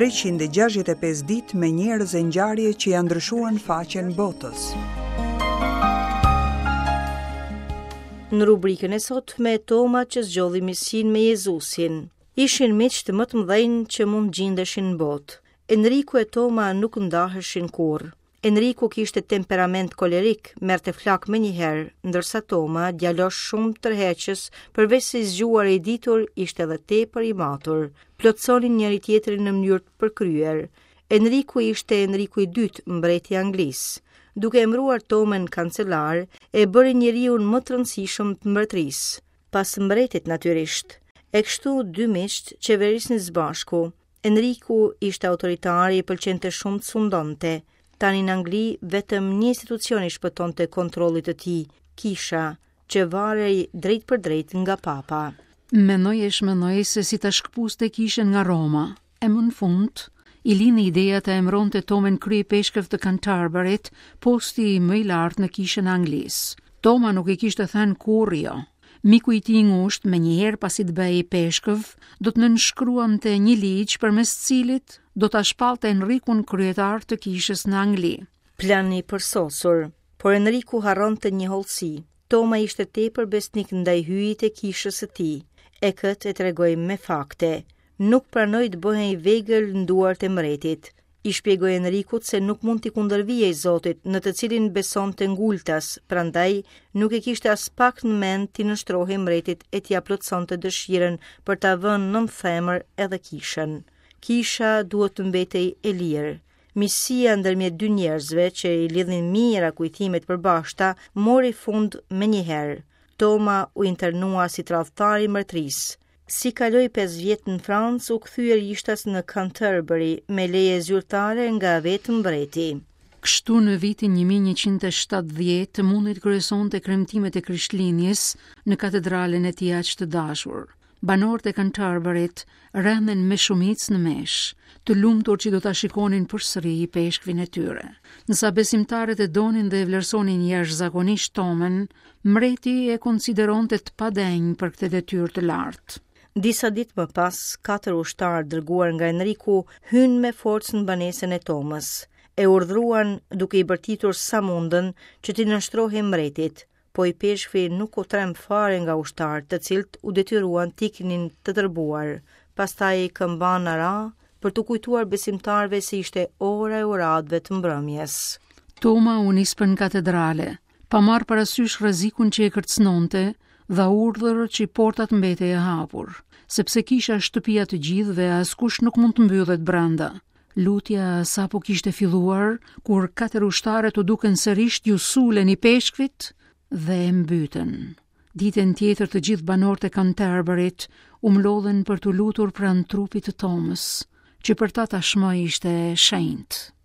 365 ditë me njerëz e ngjarje që ia ndryshuan faqen botës. Në rubrikën e sotme, Toma që zgjodhi miqësinë me Jezusin. Ishin miqtë më të mëdhenj që mund gjindeshin në botë. Enriku e Toma nuk ndaheshin kurrë. Enriku kishte temperament kolerik, merrte flakë menjëherë, ndërsa Toma, djalosh shumë tërheqës, përveç se i zgjuar e i ditur, ishte edhe tepër i matur. Plotësonin njëri-tjetrin në mënyrë të përkryer. Enriku ishte Enriku i dytë, mbreti i Anglisë. Duke emëruar Tomën kancelar, e bëri njeriun më të rëndësishëm të mbretërisë. Pas mbretit natyrisht. E kështu dy miqtë qeverisnin së bashku. Enriku ishte autoritar i pëlqente shumë të sundonte. Tani në Angli vetëm një institucion i shpëtonte kontrollit të tij, kisha, që varej drejtpërdrejt nga papa. Mendoi e shmendoi se si ta shkëpuste kishën nga Roma, e më në fund, i lindi ideja ta emëronte Tomën kryeipeshkëv të Canterburyt, posti më i lartë në kishën e Anglisë. Toma nuk i kishte thënë kurrë jo. Miku i tij i ngushtë, menjëherë pasi të bëhej ipeshkëv, do të nënshkruante një ligj përmes të cilit do ta shpallte Enrikun kryetar të kishës në Angli. Plan i përsosur, por Enriku harronte një hollësi. Toma ishte tepër besnik ndaj Hyjit e kishës së tij, e këtë e tregoi me fakte. Nuk pranoi të bëhej vegël në duart e mbretit. I shpjegoi Enrikut se nuk mund t'i kundërvihej Zotit, në të cilin besonte ngultas, prandaj nuk e kishte aspak në mend t'i nënshtrohej mbretit e t'ia plotësonte dëshirën për ta vënë nën themër edhe kishën. Kisha duhet të mbetej e lirë. Miqësia ndërmjet dy njerëzve që i lidhnin mijëra kujtime të përbashkëta mori fund menjëherë. Toma u internua si tradhtar i mbretërisë. Si kaloi 5 vjet në Francë, u kthye rishtas në Canterbury me leje zyrtare nga vetë mbreti. Kështu në vitin 1170 mundi të kryesonte kremtimet e Krishtlindjes në katedralen e tij aq të dashur. Banorët e Canterburyt rendën me shumicë në meshë, të lumtur që do ta shikonin përsëri ipeshkvin e tyre. Ndërsa besimtarët e donin dhe e vlerësonin jashtëzakonisht Tomën, mbreti e konsideronte të padenjë për këtë detyrë të lartë. Disa ditë më pas, katër ushtarë dërguar nga Enriku hynë me forcë në banesën e Tomës. E urdhëruan duke i bërtitur sa mundën që t'i nënshtrohej mbretit. Po ipeshkvi nuk u tremb fare nga ushtarët, të cilët u detyruan të iknin të tërbuar. Pastaj këmbana ra për t'u kujtuar besimtarëve se ishte ora e uratëve të mbrëmjes. Toma u nis për në katedrale, pa marrë parasysh rrezikun që e kërcënonte, dha urdhër që porta të mbetej e hapur, sepse kisha është shtëpia e të gjithëve, askush nuk mund të mbyllet brenda. Lutja sapo kishte filluar, kur katër ushtarët u dukën sërish iu sulën ipeshkvit dhe e mbytën. Ditën tjetër të gjithë banorët e Canterburyt u mblodhën për t'u lutur pranë trupit të Tomës, që për ta tashmë ishte shenjt.